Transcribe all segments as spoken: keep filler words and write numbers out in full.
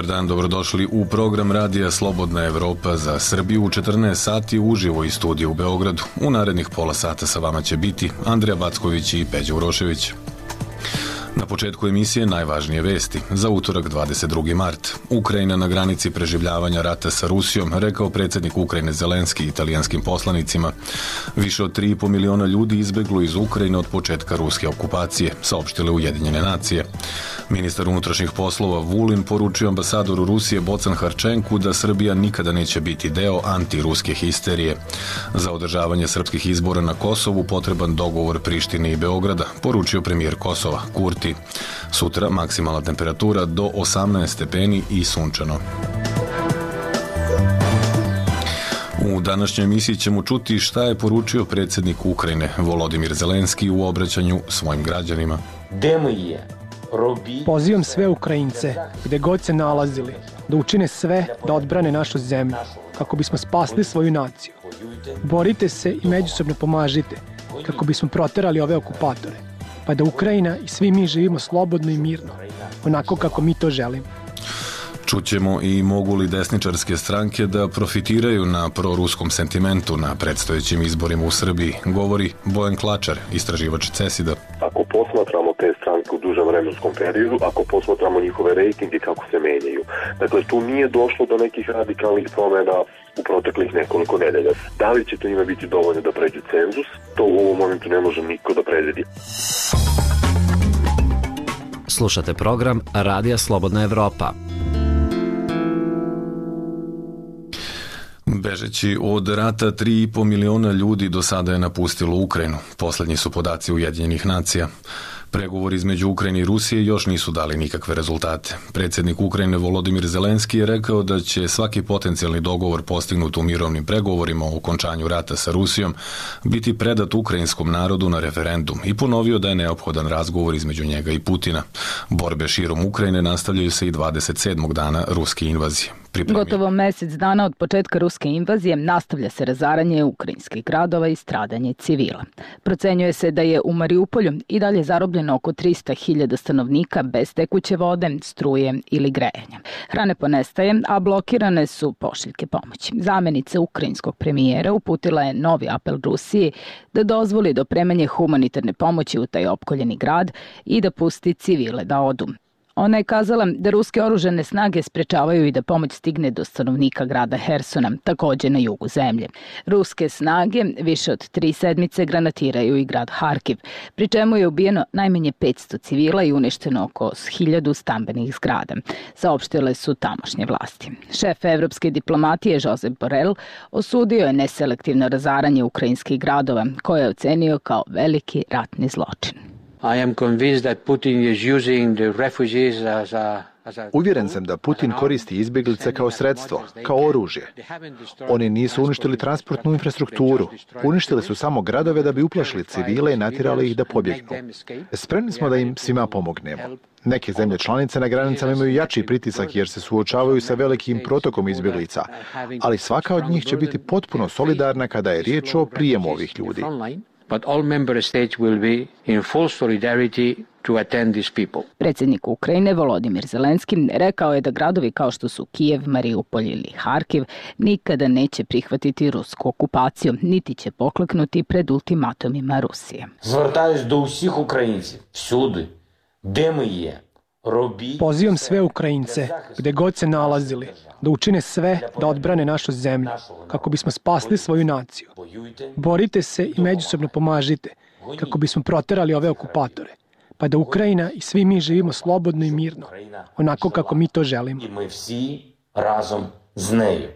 Dobar dan, dobrodošli u program Radija Slobodna Evropa za Srbiju u četrnaest sati uživo iz studija u Beogradu. U narednih pola sata sa vama će biti Andrija Backović i Peđa Urošević. Na početku emisije najvažnije vesti. Za utorak dvadeset drugi mart. Ukrajina na granici preživljavanja rata sa Rusijom, rekao predsjednik Ukrajine Zelenski italijanskim poslanicima. Više od tri i po miliona ljudi izbeglo iz Ukrajine od početka ruske okupacije, saopštile Ujedinjene nacije. Ministar unutrašnjih poslova Vulin poručio ambasadoru Rusije Bocan Harčenku da Srbija nikada neće biti deo antiruske histerije. Za održavanje srpskih izbora na Kosovu potreban dogovor Prištine i Beograda, poručio premijer Kosova Kurti. Sutra maksimalna temperatura do osamnaest stepeni i sunčano. U današnjoj emisiji ćemo čuti šta je poručio predsjednik Ukrajine Volodimir Zelenski u obraćanju svojim građanima. Pozivam sve Ukrajince, gde god se nalazili, da učine sve da odbrane našu zemlju, kako bismo spasli svoju naciju. Borite se i međusobno pomažite, kako bismo proterali ove okupatore, pa da Ukrajina i svi mi živimo slobodno i mirno, onako kako mi to želimo. Čućemo i mogu li desničarske stranke da profitiraju na proruskom sentimentu na predstojećim izborima u Srbiji, govori Bojan Klačar, istraživač CESID-a. Ako posmatramo te stranke u dužem vremenskom periodu, ako posmatramo njihove rejtinge kako se menjaju, dakle tu nije došlo do nekih radikalnih promjena u proteklih nekoliko nedelja. Da li će to njima biti dovoljno da pređu cenzus, to u ovom momentu ne može niko da predvidi. Slušate program Radija Slobodna Evropa. Bežeći od rata, tri i po miliona ljudi do sada je napustilo Ukrajinu. Poslednji su podaci Ujedinjenih nacija. Pregovori između Ukrajine i Rusije još nisu dali nikakve rezultate. Predsjednik Ukrajine Volodimir Zelenski je rekao da će svaki potencijalni dogovor postignut u mirovnim pregovorima o okončanju rata sa Rusijom biti predat ukrajinskom narodu na referendum i ponovio da je neophodan razgovor između njega i Putina. Borbe širom Ukrajine nastavljaju se i dvadeset sedmog dana ruske invazije. Pripremi. Gotovo mesec dana od početka ruske invazije nastavlja se razaranje ukrajinskih gradova i stradanje civila. Procenjuje se da je u Mariupolju i dalje zarobljeno oko trista hiljada stanovnika bez tekuće vode, struje ili grejanja. Hrane ponestaje, a blokirane su pošiljke pomoći. Zamenica ukrajinskog premijera uputila je novi apel Rusiji da dozvoli dopremanje humanitarne pomoći u taj opkoljeni grad i da pusti civile da odu. Ona je kazala da ruske oružane snage sprečavaju i da pomoć stigne do stanovnika grada Hersona, takođe na jugu zemlje. Ruske snage više od tri sedmice granatiraju i grad Harkiv, pri čemu je ubijeno najmanje petsto civila i uništeno oko hiljadu stambenih zgrada, saopštile su tamošnje vlasti. Šef evropske diplomatije Josep Borrell osudio je neselektivno razaranje ukrajinskih gradova, koje je ocenio kao veliki ratni zločin. I am convinced that Putin is using the refugees as a Uvjeren sam da Putin koristi izbjeglice kao sredstvo, kao oružje. Oni nisu uništili transportnu infrastrukturu, uništili su samo gradove da bi uplašili civile i natjerali ih da pobjegnu. Spremni smo da im svima pomognemo. Neke zemlje članice na granicama imaju jači pritisak jer se suočavaju sa velikim protokom izbjeglica, ali svaka od njih će biti potpuno solidarna kada je riječ o prijemu ovih ljudi. But all member states will be in full solidarity to attend these people. Predsjednik Ukrajine Volodimir Zelenski rekao je da gradovi kao što su Kijev, Mariupol ili Harkiv nikada neće prihvatiti rusku okupaciju, niti će pokleknuti pred ultimatumima Rusije. Звертаюсь до усіх українців всюди, де ми є. Pozivam sve Ukrajince, gde god se nalazili, da učine sve da odbrane našu zemlju, kako bismo spasli svoju naciju. Borite se i međusobno pomažite, kako bismo proterali ove okupatore, pa da Ukrajina i svi mi živimo slobodno i mirno, onako kako mi to želimo. I mi всі разом з нею,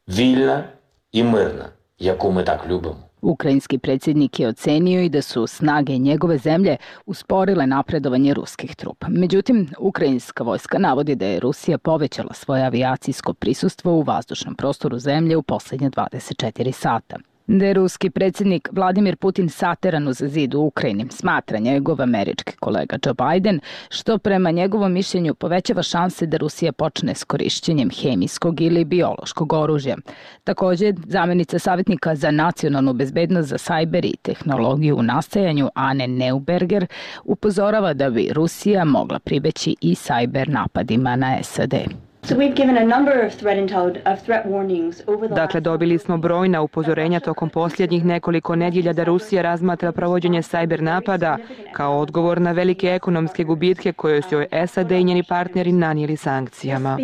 вільна і мирна, яку ми так любимо. Ukrajinski predsjednik je ocenio i da su snage njegove zemlje usporile napredovanje ruskih trupa. Međutim, ukrajinska vojska navodi da je Rusija povećala svoje avijacijsko prisustvo u vazdušnom prostoru zemlje u posljednje dvadeset četiri sata. Da je ruski predsjednik Vladimir Putin sateran uz zid u Ukrajini, smatra njegov američki kolega Joe Biden, što prema njegovom mišljenju povećava šanse da Rusija počne s korišćenjem hemijskog ili biološkog oružja. Također, zamjenica savjetnika za nacionalnu bezbednost za sajber i tehnologiju u nastajanju Anne Neuberger upozorava da bi Rusija mogla pribeći i sajber napadima na S A D. Dakle, dobili smo brojna upozorenja tokom posljednjih nekoliko nedjelja da Rusija razmatra provođenje sajber napada kao odgovor na velike ekonomske gubitke koje su joj S A D i njeni partneri nanijeli sankcijama.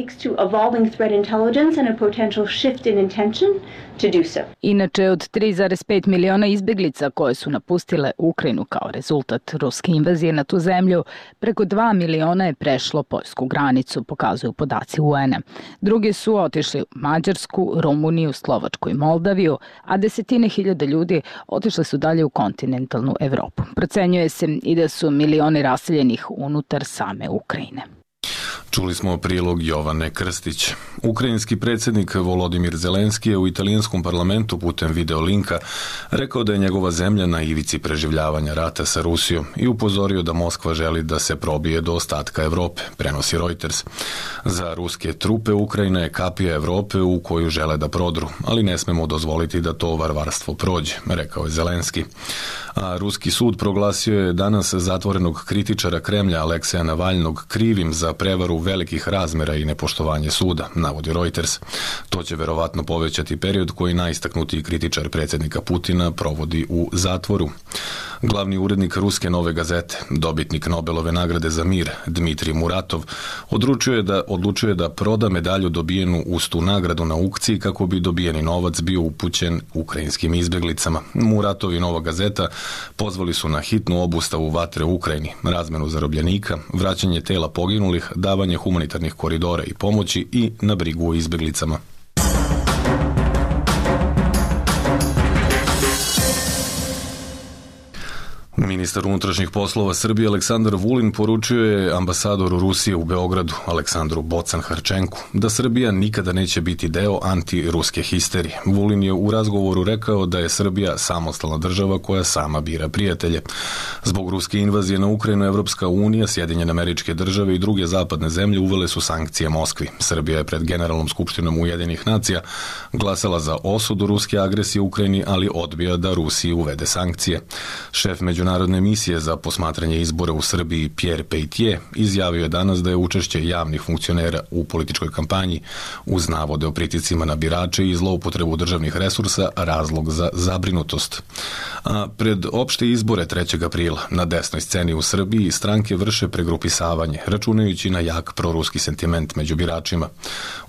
Inače, od tri zarez pet miliona izbjeglica koje su napustile Ukrajinu kao rezultat ruske invazije na tu zemlju, preko dva miliona je prešlo poljsku granicu, pokazuju podaci U N-a. Drugi su otišli u Mađarsku, Rumuniju, Slovačku i Moldaviju, a desetine hiljada ljudi otišli su dalje u kontinentalnu Evropu. Procenjuje se i da su milioni raseljenih unutar same Ukrajine. Čuli smo prilog Jovane Krstić. Ukrajinski predsjednik Volodimir Zelenski je u italijanskom parlamentu putem videolinka rekao da je njegova zemlja na ivici preživljavanja rata sa Rusijom i upozorio da Moskva želi da se probije do ostatka Evrope, prenosi Reuters. Za ruske trupe Ukrajina je kapija Evrope u koju žele da prodru, ali ne smemo dozvoliti da to varvarstvo prođe, rekao je Zelenski. A ruski sud proglasio je danas zatvorenog kritičara Kremlja Alekseja Navalnog krivim za prevaru velikih razmjera i nepoštovanje suda, navodi Reuters. To će verovatno povećati period koji najistaknutiji kritičar predsjednika Putina provodi u zatvoru. Glavni urednik ruske Nove gazete, dobitnik Nobelove nagrade za mir, Dmitrij Muratov, odlučuje da, odlučuje da proda medalju dobijenu uz tu nagradu na aukciji kako bi dobijeni novac bio upućen ukrajinskim izbjeglicama. Muratov i Nova gazeta pozvali su na hitnu obustavu vatre u Ukrajini, razmenu zarobljenika, vraćanje tela poginulih, davanje humanitarnih koridora i pomoći i na brigu o izbjeglicama. Ministar unutrašnjih poslova Srbije Aleksandar Vulin poručio je ambasadoru Rusije u Beogradu Aleksandru Bocan-Harčenku da Srbija nikada neće biti deo antiruske histerije. Vulin je u razgovoru rekao da je Srbija samostalna država koja sama bira prijatelje. Zbog ruske invazije na Ukrajinu, Evropska unija, Sjedinjene Američke Države i druge zapadne zemlje uvele su sankcije Moskvi. Srbija je pred Generalnom skupštinom Ujedinjenih nacija glasala za osudu ruske agresije u Ukrajini, ali odbija da Rusiji uvede sankcije. Šef Međunarodne misije za posmatranje izbora u Srbiji Pierre Peitier izjavio je danas da je učešće javnih funkcionera u političkoj kampanji uz navode o pritiscima na birače i zloupotrebu državnih resursa razlog za zabrinutost. A pred opšte izbore trećeg aprila na desnoj sceni u Srbiji stranke vrše pregrupisavanje, računajući na jak proruski sentiment među biračima.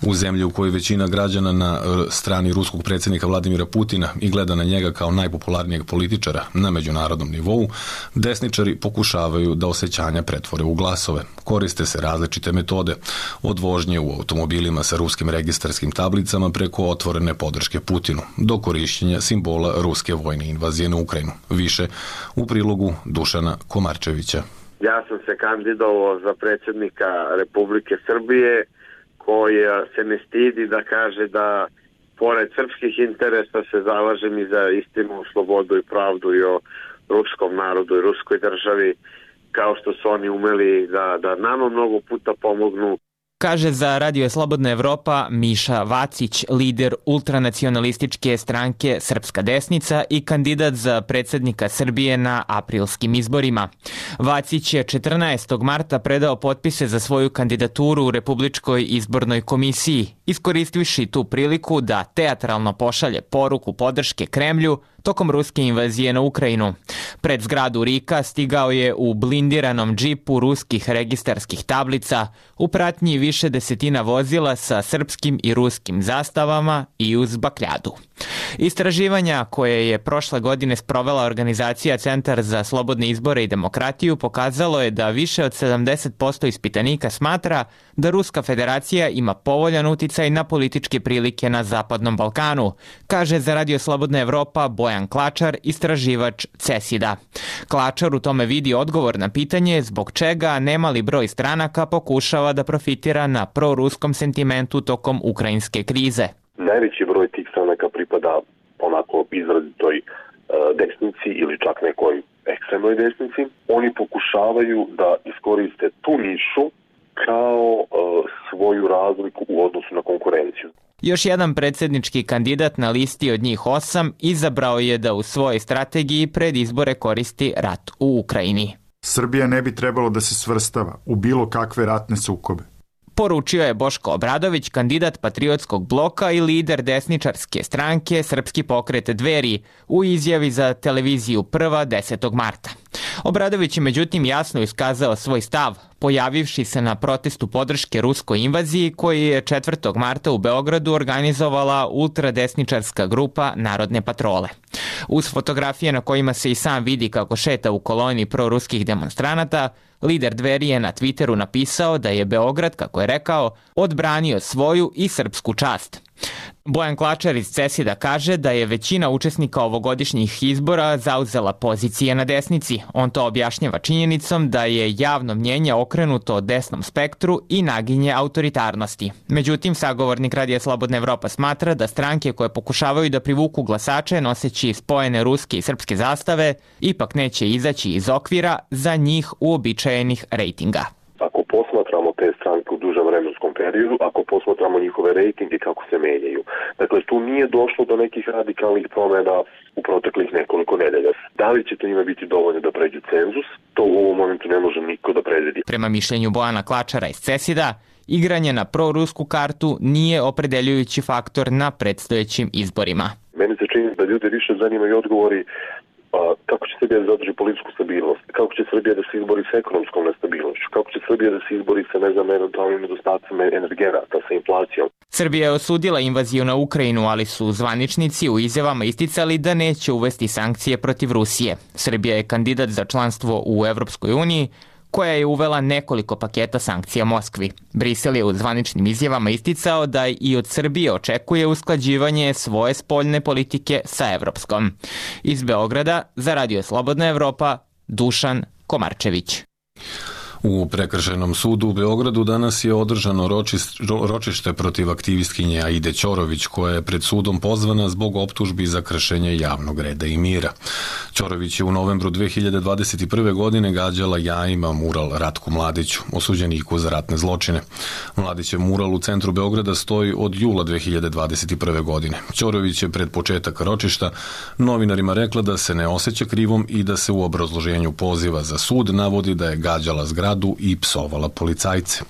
U zemlji u kojoj većina građana na strani ruskog predsjednika Vladimira Putina i gleda na njega kao najpopularnijeg političara na međunarodnom nivou, desničari pokušavaju da osjećanja pretvore u glasove. Koriste se različite metode, od vožnje u automobilima sa ruskim registarskim tablicama preko otvorene podrške Putinu, do korišćenja simbola ruske vojne invazije na Ukrajinu. Više u prilogu Dušana Komarčevića. Ja sam se kandidovao za predsjednika Republike Srbije, koji se ne stidi da kaže da pored srpskih interesa se zalažem i za istinu, slobodu i pravdu i o ruskom narodu i ruskoj državi, kao što su oni umeli da, da nama mnogo puta pomognu. Kaže za Radio Slobodna Evropa Miša Vacić, lider ultranacionalističke stranke Srpska desnica i kandidat za predsjednika Srbije na aprilskim izborima. Vacić je četrnaestog marta predao potpise za svoju kandidaturu u Republičkoj izbornoj komisiji, iskoristivši tu priliku da teatralno pošalje poruku podrške Kremlju tokom ruske invazije na Ukrajinu. Pred zgradu RIK-a stigao je u blindiranom džipu ruskih registarskih tablica, u pratnji više desetina vozila sa srpskim i ruskim zastavama i uz bakljadu. Istraživanja koje je prošle godine sprovela organizacija Centar za slobodne izbore i demokratiju pokazalo je da više od sedamdeset posto ispitanika smatra da Ruska federacija ima povoljan uticaj na političke prilike na Zapadnom Balkanu, kaže za Radio Slobodna Evropa Bojan Klačar, istraživač CESID-a. Klačar u tome vidi odgovor na pitanje zbog čega nemali broj stranaka pokušava da profitira na proruskom sentimentu tokom ukrajinske krize. Najveći broj tih stranaka pripada onako izrazitoj uh, desnici ili čak nekoj ekstremnoj desnici. Oni pokušavaju da iskoriste tu nišu kao uh, svoju razliku u odnosu na konkurenciju. Još jedan predsjednički kandidat na listi od njih osam izabrao je da u svojoj strategiji pred izbore koristi rat u Ukrajini. Srbija ne bi trebalo da se svrstava u bilo kakve ratne sukobe. poručio je Boško Obradović, kandidat Patriotskog bloka i lider desničarske stranke Srpski pokret Dveri, u izjavi za televiziju Prva desetog marta. Obradović je međutim jasno iskazao svoj stav, pojavivši se na protestu podrške ruskoj invaziji koji je četvrtog marta u Beogradu organizovala ultradesničarska grupa Narodne patrole. Uz fotografije na kojima se i sam vidi kako šeta u koloni proruskih demonstranata, lider Dveri je na Twitteru napisao da je Beograd, kako je rekao, odbranio svoju i srpsku čast. Bojan Klačar iz Cesida kaže da je većina učesnika ovogodišnjih izbora zauzela pozicije na desnici. On to objašnjava činjenicom da je javno mnjenje okrenuto desnom spektru i naginje autoritarnosti. Međutim, sagovornik Radija Slobodna Evropa smatra da stranke koje pokušavaju da privuku glasače noseći spojene ruske i srpske zastave ipak neće izaći iz okvira za njih uobičajenih rejtinga. Ako posmatramo te stranke u dužem vremenskom periodu, ako posmatramo njihove rejtinge kako se menjaju. Dakle, tu nije došlo do nekih radikalnih promjena u proteklih nekoliko nedelja. Da li će to njima biti dovoljno da pređu cenzus, to u ovom momentu ne može niko da predvidi. Prema mišljenju Bojana Klačara iz Cesida, igranje na prorusku kartu nije opredeljujući faktor na predstojećim izborima. Meni se čini da ljude više zanimaju odgovori kako će Srbija da zadrži političku stabilnost, kako će Srbija da se izbori sa ekonomskom nestabilnošću, kako će Srbija da se izbori sa, ne znam, eventualnim nedostacima energenata, sa inflacijom. Srbija je osudila invaziju na Ukrajinu, ali su zvaničnici u izjavama isticali da neće uvesti sankcije protiv Rusije. Srbija je kandidat za članstvo u Evropskoj uniji, koja je uvela nekoliko paketa sankcija Moskvi. Brisel je u zvaničnim izjavama isticao da i od Srbije očekuje usklađivanje svoje spoljne politike sa evropskom. Iz Beograda za Radio Slobodna Evropa, Dušan Komarčević. U Prekršajnom sudu u Beogradu danas je održano ročište protiv aktivistkinje Aide Ćorović, koja je pred sudom pozvana zbog optužbi za kršenje javnog reda i mira. Ćorović je u novembru dve hiljade dvadeset prve. godine gađala jajima mural Ratku Mladiću, osuđeniku za ratne zločine. Mladićev mural u centru Beograda stoji od jula dve hiljade dvadeset prve. godine. Ćorović je pred početak ročišta novinarima rekla da se ne osjeća krivom i da se u obrazloženju poziva za sud navodi da je gađala zgradu i psovala policajce.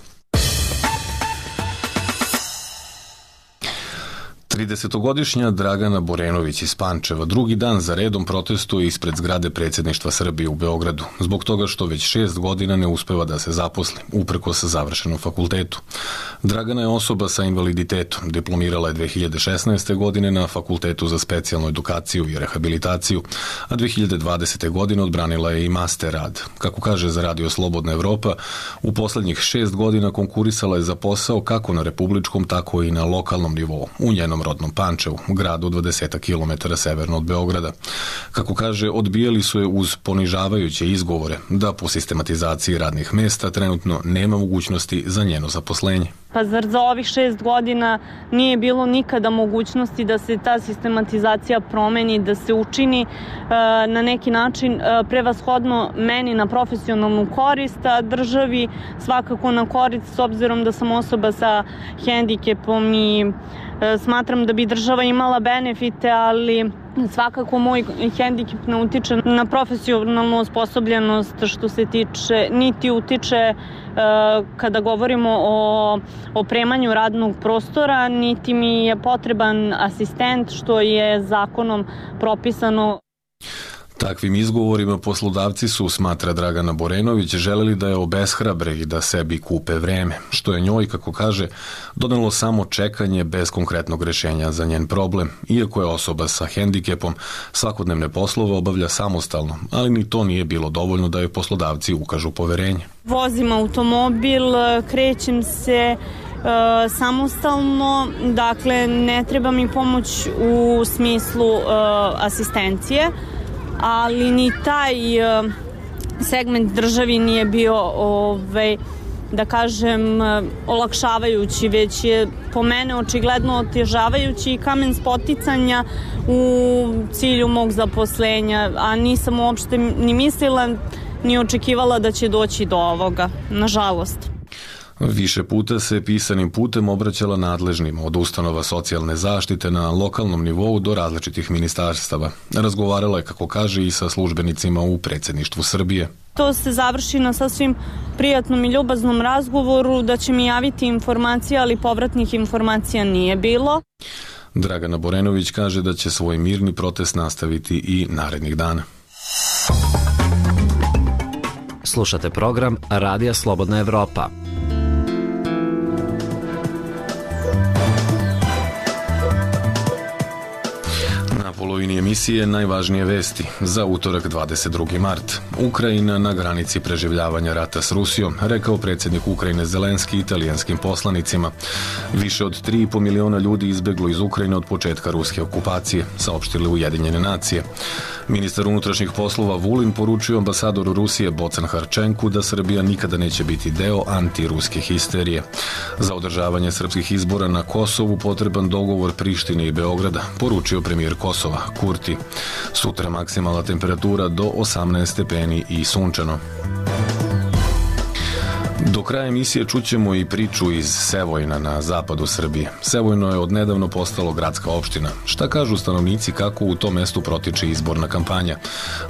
tridesetogodišnja Dragana Borenović iz Pančeva drugi dan za redom protestuje ispred zgrade predsjedništva Srbije u Beogradu, zbog toga što već šest godina ne uspeva da se zaposli, uprkos završenom fakultetu. Dragana je osoba sa invaliditetom, diplomirala je dve hiljade šesnaeste. godine na Fakultetu za specijalnu edukaciju i rehabilitaciju, a dve hiljade dvadesete. godine odbranila je i master rad. Kako kaže za Radio Slobodna Evropa, u poslednjih šest godina konkurisala je za posao kako na republičkom, tako i na lokalnom nivou, u njenom rodnom Pančevu, gradu dvadeset kilometara severno od Beograda. Kako kaže, odbijali su je uz ponižavajuće izgovore da po sistematizaciji radnih mesta trenutno nema mogućnosti za njeno zaposlenje. Pa zar za ovih šest godina nije bilo nikada mogućnosti da se ta sistematizacija promeni, da se učini e, na neki način e, prevashodno meni na profesionalnu korist, a državi svakako na korist, s obzirom da sam osoba sa hendikepom i e, smatram da bi država imala benefite, ali svakako moj hendikep ne utiče na profesionalnu osposobljenost što se tiče, niti utiče kada govorimo o opremanju radnog prostora, niti mi je potreban asistent što je zakonom propisano. Takvim izgovorima poslodavci su, smatra Dragana Borenović, želeli da je obeshrabre i da sebi kupe vreme, što je njoj, kako kaže, donelo samo čekanje bez konkretnog rešenja za njen problem, iako je osoba sa hendikepom svakodnevne poslove obavlja samostalno, ali ni to nije bilo dovoljno da joj poslodavci ukažu poverenje. Vozim automobil, krećem se e, samostalno, dakle ne treba mi pomoć u smislu e, asistencije, ali ni taj segment državi nije bio, ovaj, da kažem, olakšavajući, već je po mene očigledno otežavajući i kamen spoticanja u cilju mog zaposlenja, a nisam uopšte ni mislila ni očekivala da će doći do ovoga, nažalost. Više puta se pisanim putem obraćala nadležnima od ustanova socijalne zaštite na lokalnom nivou do različitih ministarstava. Razgovarala je, kako kaže, i sa službenicima u predsjedništvu Srbije. To se završi na sasvim prijatnom i ljubaznom razgovoru, da će mi javiti informacije, ali povratnih informacija nije bilo. Dragana Borenović kaže da će svoj mirni protest nastaviti i narednih dana. Slušate program Radija Slobodna Evropa. Polovini emisije najvažnije vesti za utorak dvadeset drugi mart. Ukrajina na granici preživljavanja rata s Rusijom, rekao predsjednik Ukrajine Zelenski italijanskim poslanicima. Više od tri i po miliona ljudi izbeglo iz Ukrajine od početka ruske okupacije, saopštile Ujedinjene nacije. Ministar unutrašnjih poslova Vulin poručio ambasadoru Rusije Bocan Harčenku da Srbija nikada neće biti deo antiruske histerije. Za održavanje srpskih izbora na Kosovu potreban dogovor Prištine i Beograda, poručio premijer Kosova Kurti. Sutra maksimalna temperatura do osamnaest stepeni i sunčano. Do kraja emisije čućemo i priču iz Sevojna na zapadu Srbije. Sevojno je odnedavno postalo gradska opština. Šta kažu stanovnici kako u tom mestu protiče izborna kampanja?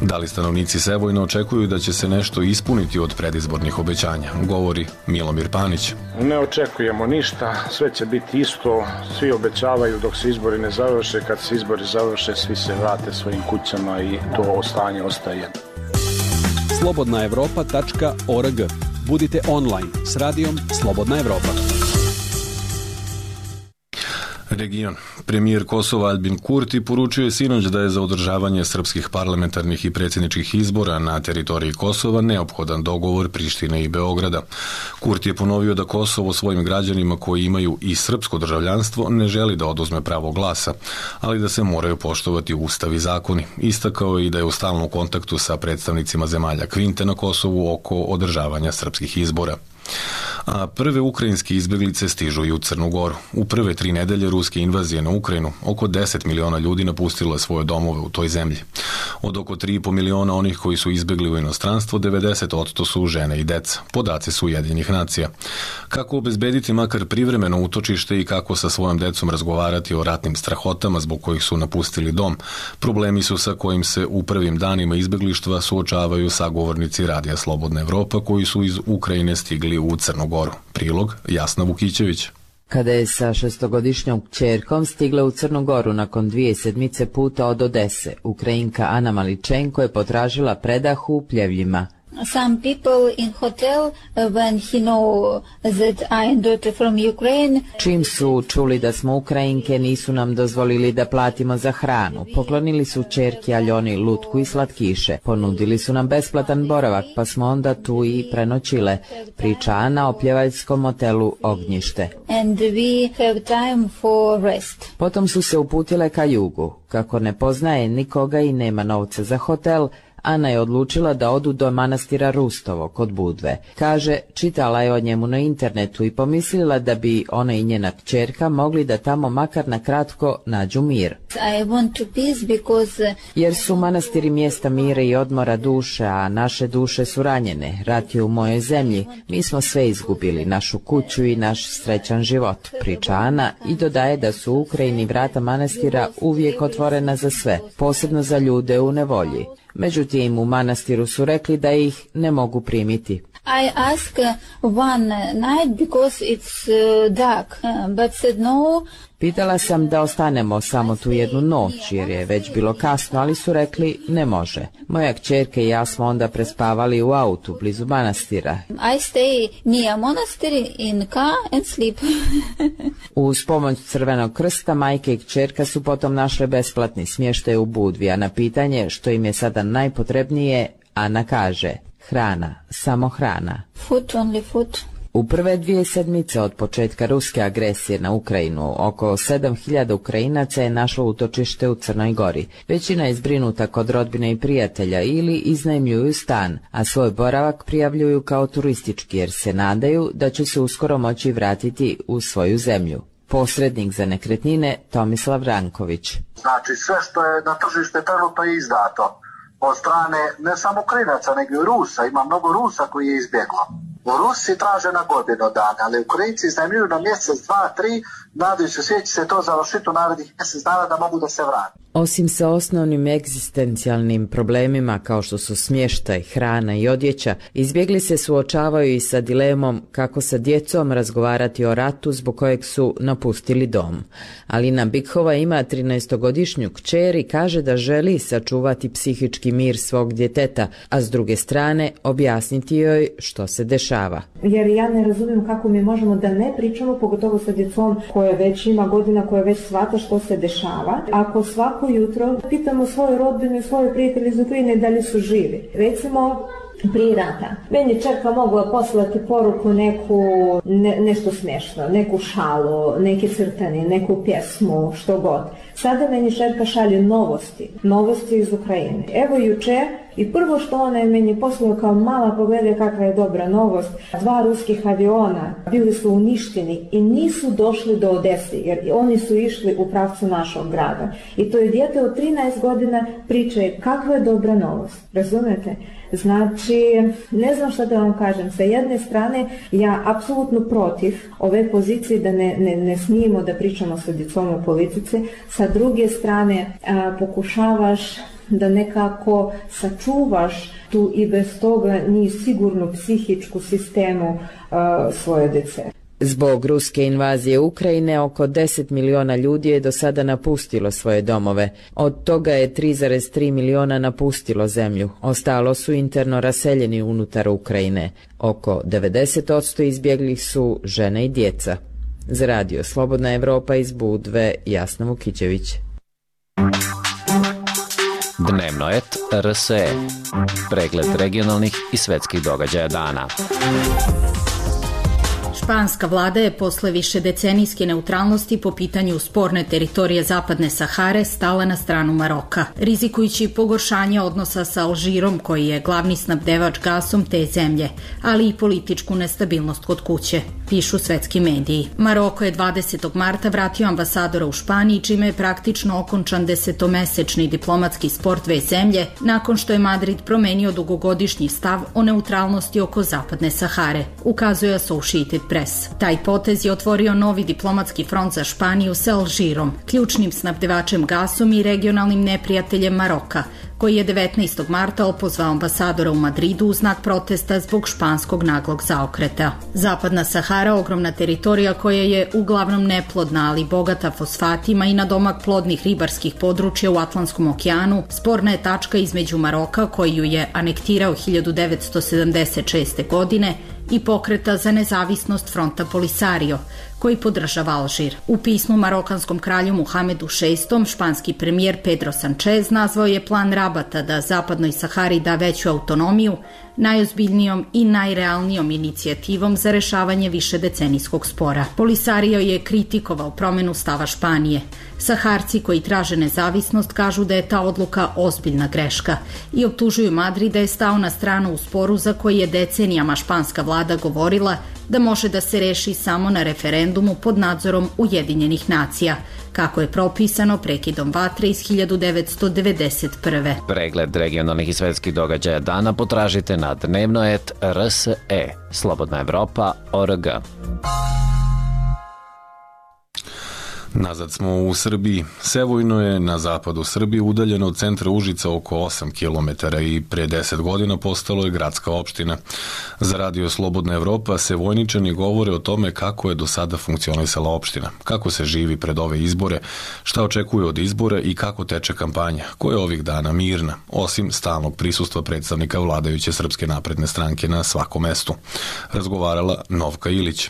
Da li stanovnici Sevojna očekuju da će se nešto ispuniti od predizbornih obećanja? Govori Milomir Panić. Ne očekujemo ništa, sve će biti isto, svi obećavaju dok se izbori ne završe, kad se izbori završe svi se vrate svojim kućama i to stanje ostaje. slobodna evropa tačka org. Budite online s radijom Slobodna Evropa. Region. Premijer Kosova Albin Kurti poručio je sinoć da je za održavanje srpskih parlamentarnih i predsjedničkih izbora na teritoriji Kosova neophodan dogovor Prištine i Beograda. Kurti je ponovio da Kosovo svojim građanima koji imaju i srpsko državljanstvo ne želi da oduzme pravo glasa, ali da se moraju poštovati ustav i zakoni. Istakao je i da je u stalnom kontaktu sa predstavnicima zemalja Kvinte na Kosovu oko održavanja srpskih izbora. A prve ukrajinske izbjeglice stižu i u Crnu Goru. U prve tri nedelje ruske invazije na Ukrajinu oko deset miliona ljudi napustilo je svoje domove u toj zemlji. Od oko tri i po miliona onih koji su izbjegli u inostranstvo, devedeset posto su žene i deca. Podaci su Ujedinjenih nacija. Kako obezbediti makar privremeno utočište i kako sa svojom decom razgovarati o ratnim strahotama zbog kojih su napustili dom, problemi su sa kojim se u prvim danima izbjeglištva suočavaju sagovornici Radija Slobodna Evropa koji su iz Ukrajine stigli u Crnu Goru. Prilog Jasna Vukićević. Kada je sa šestogodišnjom kćerkom stigla u Crnu Goru nakon dvije sedmice puta od Odese, Ukrajinka Ana Maličenko je potražila predah u Pljevljima. Some people in hotel when he know that I am daughter from Ukraine. Čim su čuli da smo Ukrajinke, nisu nam dozvolili da platimo za hranu. Poklonili su ćerki Aljoni lutku i slatkiše. Ponudili su nam besplatan boravak, pa smo onda tu i prenoćile. Priča Ana o pljevaljskom motelu Ognjište. And we have time for rest. Potom su se uputile ka jugu. Kako ne poznaje nikoga i nema novca za hotel, Ana je odlučila da odu do manastira Rustovo kod Budve. Kaže, čitala je o njemu na internetu i pomislila da bi ona i njena kćerka mogli da tamo makar na kratko nađu mir. I want to peace because... Jer su manastiri mjesta mira i odmora duše, a naše duše su ranjene. Rat je u mojoj zemlji. Mi smo sve izgubili, našu kuću i naš srećan život, priča Ana i dodaje da su u Ukrajini vrata manastira uvijek otvorena za sve, posebno za ljude u nevolji. Međutim, u manastiru su rekli da ih ne mogu primiti. I ask one night because it's dark, but said no. Pitala sam da ostanemo samo tu jednu noć jer je već bilo kasno, ali su rekli ne može. Moja kćerka i ja smo onda prespavali u autu blizu manastira. I stay near monastery in car and sleep. Uz pomoć Crvenog krsta majke i kćerka su potom našle besplatni smještaj u Budvi, a na pitanje što im je sada najpotrebnije, Ana kaže hrana, samo hrana. Food, only food. U prve dvije sedmice od početka ruske agresije na Ukrajinu, oko sedam hiljada Ukrajinaca je našlo utočište u Crnoj Gori. Većina je zbrinuta kod rodbine i prijatelja ili iznajmljuju stan, a svoj boravak prijavljuju kao turistički jer se nadaju da će se uskoro moći vratiti u svoju zemlju. Posrednik za nekretnine Tomislav Ranković. Znači sve što je na tržište trenutno je izdato od strane ne samo Ukrajinaca nego i Rusa, ima mnogo Rusa koji je izbjeglo. Rusi traže na godinu dana, ali Ukrajinci iznajmljuju na mjesec, dva, tri, nadajući se će se to završiti u narednih mjesec dana da mogu da se vrati. Osim sa osnovnim egzistencijalnim problemima kao što su smještaj, hrana i odjeća, izbjegli se suočavaju i sa dilemom kako sa djecom razgovarati o ratu zbog kojeg su napustili dom. Alina Bikhova ima trinaestogodišnju kćer i kaže da želi sačuvati psihički mir svog djeteta, a s druge strane objasniti joj što se dešava. Jer ja ne razumijem kako mi možemo da ne pričamo, pogotovo sa djecom koje već ima godina, koje već shvata što se dešava. Ako svako jutro pitamo svoju rodbinu i svoje prijatelje iz Ukrajine da li su živi. Recimo, prije rata. Meni čerka mogla poslati poruku neku, ne, nešto smiješno, neku šalu, neke crtane, neku pjesmu, što god. Sada meni čerka šalje novosti, novosti iz Ukrajine. Evo juče, i prvo što ona je meni poslala kao mala, pogledaj kakva je dobra novost, dva ruskih aviona bili su uništeni i nisu došli do Odese, jer oni su išli u pravcu našog grada. I to je dijete od trinaest godina priča je kakva je dobra novost, razumete? Znači, ne znam šta da vam kažem, sa jedne strane ja apsolutno protiv ove pozicije da ne, ne, ne smijemo da pričamo sa djecom o politici, sa druge strane a, pokušavaš da nekako sačuvaš tu i bez toga ni sigurnu psihičku sistemu a, svoje djece. Zbog ruske invazije Ukrajine oko deset miliona ljudi je do sada napustilo svoje domove. Od toga je tri zarez tri miliona napustilo zemlju. Ostalo su interno raseljeni unutar Ukrajine. Oko devedeset posto izbjeglih su žene i djeca. Za radio Slobodna Evropa iz Budve, Jasna Vukićević. Dnevno et R S E. Pregled regionalnih i svetskih događaja dana. Španska vlada je posle višedecenijske neutralnosti po pitanju sporne teritorije Zapadne Sahare stala na stranu Maroka, rizikujući pogoršanje odnosa sa Alžirom, koji je glavni snabdevač gasom te zemlje, ali i političku nestabilnost kod kuće, pišu svetski mediji. Maroko je dvadesetog marta vratio ambasadora u Španiji, čime je praktično okončan desetomesečni diplomatski spor dve zemlje, nakon što je Madrid promenio dugogodišnji stav o neutralnosti oko Zapadne Sahare, ukazuje Associated Press. Taj potez je otvorio novi diplomatski front za Španiju sa Alžirom, ključnim snabdevačem gasom i regionalnim neprijateljem Maroka, koji je devetnaestog marta opozvao ambasadora u Madridu u znak protesta zbog španskog naglog zaokreta. Zapadna Sahara, ogromna teritorija koja je uglavnom neplodna, ali bogata fosfatima i nadomak plodnih ribarskih područja u Atlantskom okeanu, sporna je tačka između Maroka, koji ju je anektirao hiljadu devetsto sedamdeset šeste. godine, i pokreta za nezavisnost fronta Polisario, koji podržava Alžir. U pismu marokanskom kralju Muhamedu šestom. španski premijer Pedro Sanchez nazvao je plan Rabata da Zapadnoj Sahari da veću autonomiju najozbiljnijom i najrealnijom inicijativom za rešavanje višedecenijskog spora. Polisario je kritikovao promenu stava Španije. Saharci koji traže nezavisnost kažu da je ta odluka ozbiljna greška i optužuju Madrid da je stao na stranu u sporu za koji je decenijama španska vlada govorila da može da se reši samo na referendumu pod nadzorom Ujedinjenih nacija, kako je propisano prekidom vatre iz hiljadu devetsto devedeset prve. Pregled regionalnih i svetskih događaja dana potražite na dnevno et R S E, Slobodna Evropa, O R G. Nazad smo u Srbiji. Sevojno je na zapadu Srbije udaljeno od centra Užica oko osam kilometara i pre deset godina postalo je gradska opština. Za radio Slobodna Evropa Sevojničani govore o tome kako je do sada funkcionisala opština, kako se živi pred ove izbore, šta očekuju od izbora i kako teče kampanja, koja je ovih dana mirna, osim stalnog prisustva predstavnika vladajuće Srpske napredne stranke na svakom mestu. Razgovarala Novka Ilić.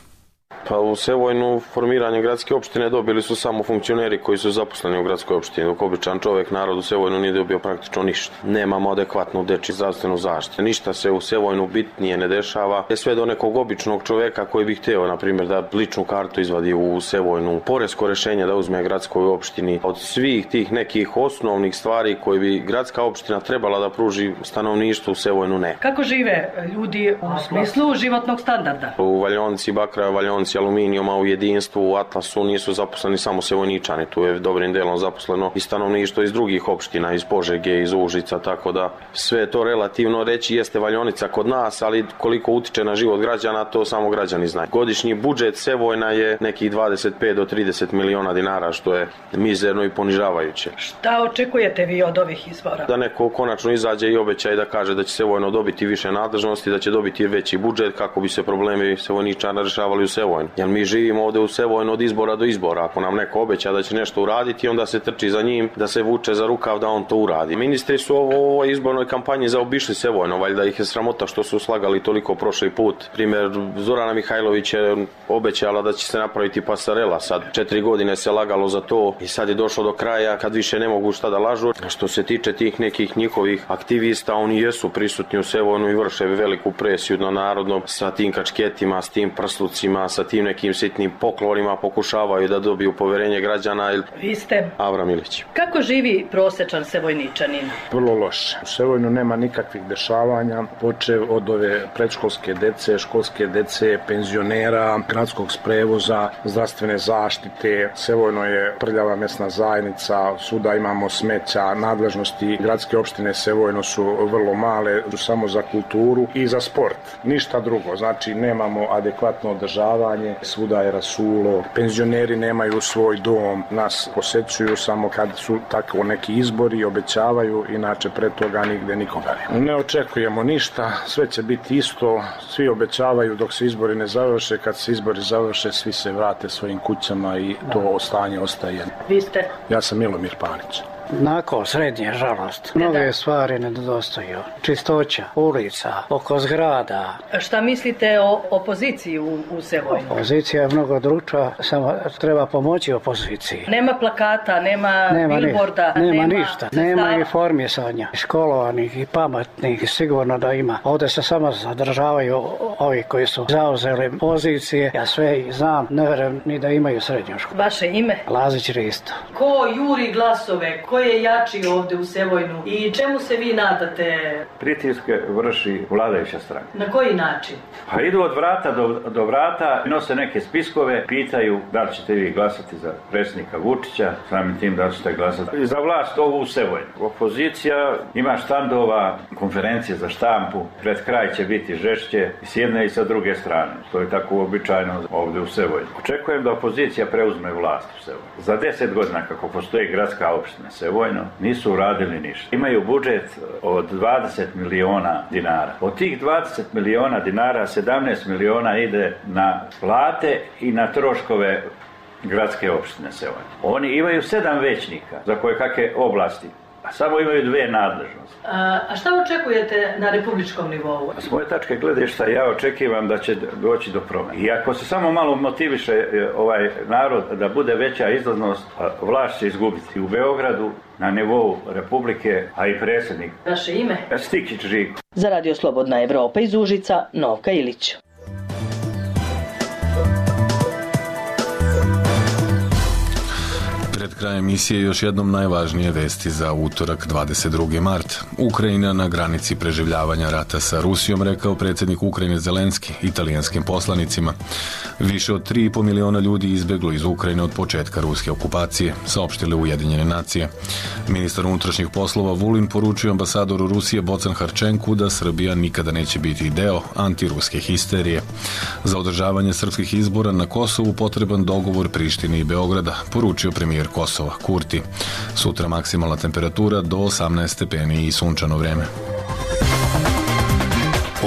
Pa u Sevojnu formiranje gradske opštine dobili su samo funkcioneri koji su zaposleni u gradskoj opštini, dok običan čovek, narod u Sevojnu nije dobio praktično ništa. Nemamo adekvatnu dečju zdravstvenu zaštitu. Ništa se u Sevojnu bitnije ne dešava. Je sve do nekog običnog čoveka koji bi hteo, na primjer, da ličnu kartu izvadi u Sevojnu, poresko rešenje da uzme gradskoj opštini. Od svih tih nekih osnovnih stvari koje bi gradska opština trebala da pruži stanovništvu u Sevojnu ne. Kako žive ljudi u smislu životnog standarda? U Valjonci, Bakra, Valjonci fabrici aluminijuma u Jedinstvu, u Atlasu nisu zaposleni samo Sevojničani, tu je dobrim delom zaposleno i stanovništvo iz drugih opština, iz Požege, iz Užica, tako da sve je to relativno reći jeste valjonica kod nas, ali koliko utiče na život građana, to samo građani znaju. Godišnji budžet Sevojna je nekih dvadeset pet do trideset miliona dinara, što je mizerno i ponižavajuće. Šta očekujete vi od ovih izbora? Da neko konačno izađe i obeća i da kaže da će Sevojno dobiti više nadležnosti, da će dobiti veći budžet kako bi se problemi Sevojničana rešavali u Sevojnu. Jer mi živimo ovde u Sevojnu od izbora do izbora. Ako nam neko obeća da će nešto uraditi, onda se trči za njim da se vuče za rukav da on to uradi. Ministri su ovo, u ovoj izbornoj kampanji zaobišli Sevojno, valjda ih je sramota što su slagali toliko prošli put. Primjer, Zorana Mihajlović je obećala da će se napraviti pasarela. Sad četiri godine se lagalo za to i sad je došlo do kraja kad više ne mogu šta da lažu. Što se tiče tih nekih njihovih aktivista, oni jesu prisutni u Sevojnu i vrše veliku presiju na narodnom sa tim kačketima, s tim prslucima, sa tim nekim sitnim poklonima, pokušavaju da dobiju poverenje građana. Vi ste Avram Ilić. Kako živi prosečan Sevojničanin? Vrlo loše. U Sevojnu nema nikakvih dešavanja, počev od ove predškolske dece, školske dece, penzionera, gradskog prevoza, zdravstvene zaštite. Sevojno je prljava mesna zajednica, svuda imamo smeća, nadležnosti gradske opštine Sevojno su vrlo male, samo za kulturu i za sport. Ništa drugo, znači nemamo adekvatno održavanje, svuda je rasulo, penzioneri nemaju svoj dom, nas posećuju samo kad su tako neki izbori, obećavaju, inače pre toga nigde nikoga nema. Ne očekujemo ništa, sve će biti isto, svi obećavaju dok se izbori ne završe, kad se izbori završe svi se vrate svojim kućama i to stanje ostaje. Vi ste? Ja sam Milomir Panić. Nakon srednje, žalost. Mnoge stvari nedostaju. Čistoća, ulica, oko zgrada. Šta mislite o opoziciji u, u Sevojnu? Opozicija je mnogo druča, samo treba pomoći opoziciji. Nema plakata, nema, nema billboarda, nema, nema ništa. Nema informisanja. Školovanih i pametnih sigurno da ima. Ovdje se samo zadržavaju ovi koji su zauzeli pozicije. Ja sve znam, ne verujem ni da imaju srednju školu. Vaše ime? Lazić Risto. Ko juri glasove? Ko je jači ovde u Sevojnu i čemu se vi nadate? Pritiske vrši vladajuća stranka. Na koji način? Pa idu od vrata do, do vrata, nose neke spiskove, pitaju da li ćete vi glasati za predsjednika Vučića, samim tim da li ćete glasati za vlast ovu u Sevojnu. Opozicija ima štandova, konferencije za štampu, pred kraj će biti žešće i s jedne i sa druge strane. To je tako uobičajeno ovde u Sevojnu. Očekujem da opozicija preuzme vlast u Sevojnu. Za deset godina kako postoji gradska opština Sevojno, nisu uradili ništa. Imaju budžet od dvadeset miliona dinara. Od tih dvadeset miliona dinara, sedamnaest miliona ide na plate i na troškove gradske opštine Sevojno. Oni imaju sedam većnika za koje kakve oblasti, a samo imaju dve nadležnosti. A, a šta očekujete na republičkom nivou? S moje tačke gledišta ja očekivam da će doći do promjene. I ako se samo malo motiviše ovaj narod da bude veća izlaznost, vlast će izgubiti u Beogradu, na nivou Republike, a i predsjednik. Vaše ime? Stikić Žiko. Za Radio Slobodna Evropa iz Užica, Novka Ilić. Pred krajem emisije još jednom najvažnije vesti za utorak dvadeset drugi mart. Ukrajina na granici preživljavanja rata sa Rusijom, rekao predsjednik Ukrajine Zelenski italijanskim poslanicima. Više od tri i po miliona ljudi izbjeglo iz Ukrajine od početka ruske okupacije, saopštile Ujedinjene nacije. Ministar unutrašnjih poslova Vulin poručio ambasadoru Rusije Bocan Harčenku da Srbija nikada neće biti deo antiruske histerije. Za održavanje srpskih izbora na Kosovu potreban dogovor Prištine i Beograda, poručio premijer Kosova Kurti. Sutra maksimalna temperatura do osamnaest stepeni i sunčano vreme.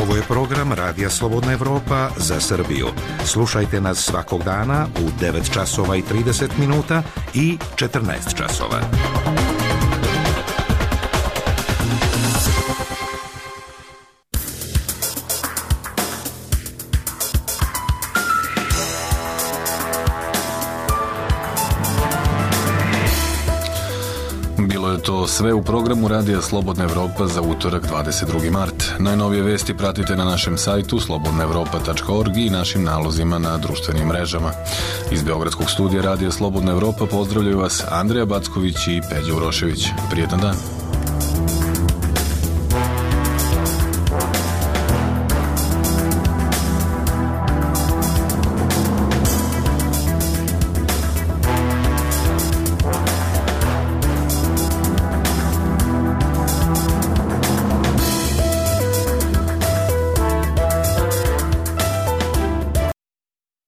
Ovo je program Radija Slobodna Evropa za Srbiju. Slušajte nas svakog dana u devet časova i trideset minuta i četrnaest časova. Bilo je to sve u programu Radija Slobodna Evropa za utorak dvadeset drugi mart. Najnovije vesti pratite na našem sajtu slobodna evropa tačka org i našim nalozima na društvenim mrežama. Iz Beogradskog studija Radija Slobodna Evropa pozdravljaju vas Andrija Backović i Peđa Urošević. Prijetan dan.